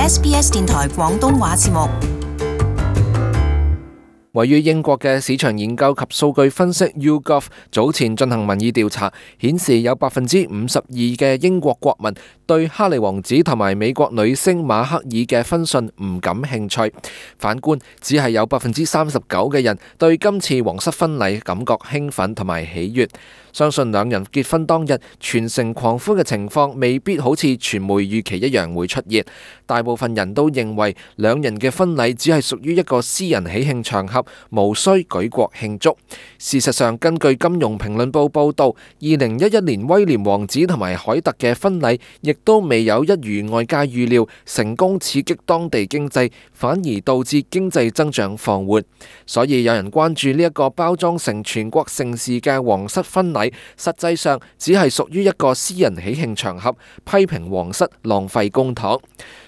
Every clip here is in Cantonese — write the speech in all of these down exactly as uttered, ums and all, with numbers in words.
S B S 電台廣東話節目。位於英國嘅市場研究及數據分析 YouGov 早前進行民意調查，顯示有百分之五十二嘅英國國民對哈利王子同埋美國女星馬克爾嘅婚訊唔感興趣。反觀，只係有百分之三十九嘅人對今次皇室婚禮感覺興奮同埋喜悅。相信兩人結婚當日全城狂歡嘅情況未必好似傳媒預期一樣會出現。大部分人都認為兩人嘅婚禮只係屬於一個私人喜慶場合，無需舉國慶祝。事實上，根據《金融評論報》報導，二零一一年威廉王子同埋凱特嘅婚禮亦都未有一如外界預料成功刺激當地經濟，反而導致經濟增長放緩。所以有人關注呢一個包裝成全國盛事嘅皇室婚禮，實際上只係屬於一個私人喜慶場合，批評皇室浪費公帑。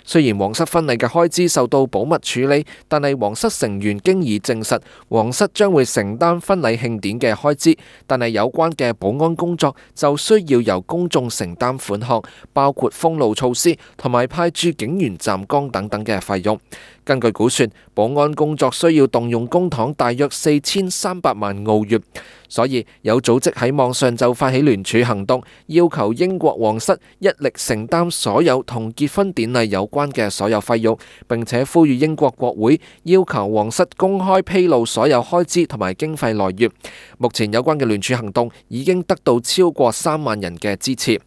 雖然皇室婚禮嘅開支受到保密處理，但係皇室成員經已證實，皇室將會承擔婚禮慶典嘅開支，但係有關嘅保安工作就需要由公眾承擔款項，包括封路措施同埋派駐警員站崗等等嘅費用。根據估算，保安工作需要動用公帑大約四千三百萬澳元，所以有組織喺網上就發起聯署行動，要求英國皇室一力承擔所有同結婚典禮有關嘅所有費用，並且呼籲英國國會要求皇室公開披露所有開支同埋經費來源。目前有關嘅聯署行動已經得到超過三萬人嘅支持。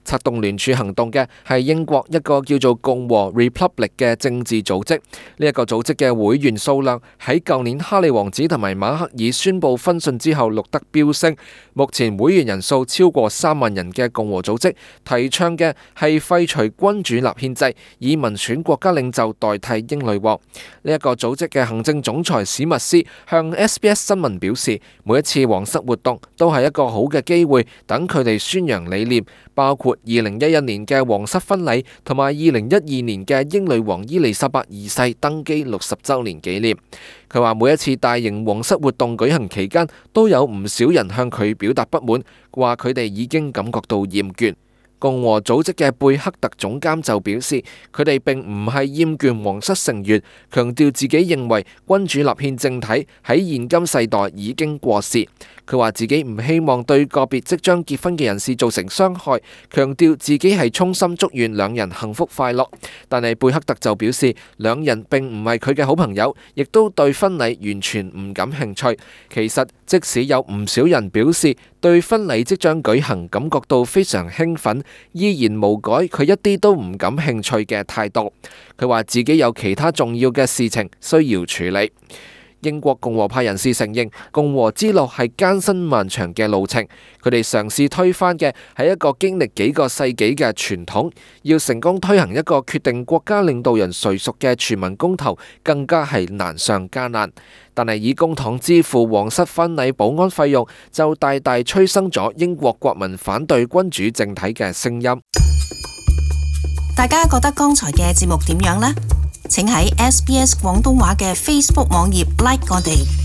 策動聯署行動嘅係英國一個叫做共和 Republic 嘅政治組織。呢一個組織嘅會員數量喺舊年哈利王子同埋馬克爾宣布婚訊之後錄得飆升。目前會員人數超過三萬人嘅共和組織提倡嘅係廢除君主立憲制，以民選國家領袖代替英女王。呢一個組織嘅行政總裁史密斯向 S B S 新聞表示，每一次皇室活動都係一個好嘅機會，等佢哋宣揚理念，包括二零一一年嘅皇室婚禮同埋二零一二年嘅英女王伊麗莎白二世登基六十週年紀念。佢話每一次大型皇室活動舉行期間，都有唔少人向佢表達不滿，話佢哋已經感覺到厭倦。共和組織嘅貝克特總監就表示，佢哋並唔係厭倦皇室成員，強調自己認為君主立憲政體喺現今世代已經過時。佢話自己唔希望對個別即將結婚嘅人士造成傷害，強調自己係衷心祝願兩人幸福快樂。但係貝克特就表示，兩人並唔係佢嘅好朋友，亦都對婚禮完全唔感興趣。其實即使有唔少人表示對婚禮即將舉行感覺到非常興奮，依然無改佢一啲都唔感興趣嘅態度。佢話自己有其他重要嘅事情需要處理。英國共和派人士承認，共和之路係艱辛漫長嘅路程。佢哋嘗試推翻嘅係一個經歷幾個世紀嘅傳統，要成功推行一個決定國家領導人誰屬嘅全民公投，更加係難上加難。但係以公帑支付皇室婚禮保安費用，就大大催生咗英國國民反對君主政體嘅聲音。大家覺得剛才嘅節目點樣呢？請喺 S B S 廣東話嘅 Facebook 網頁 like 我哋。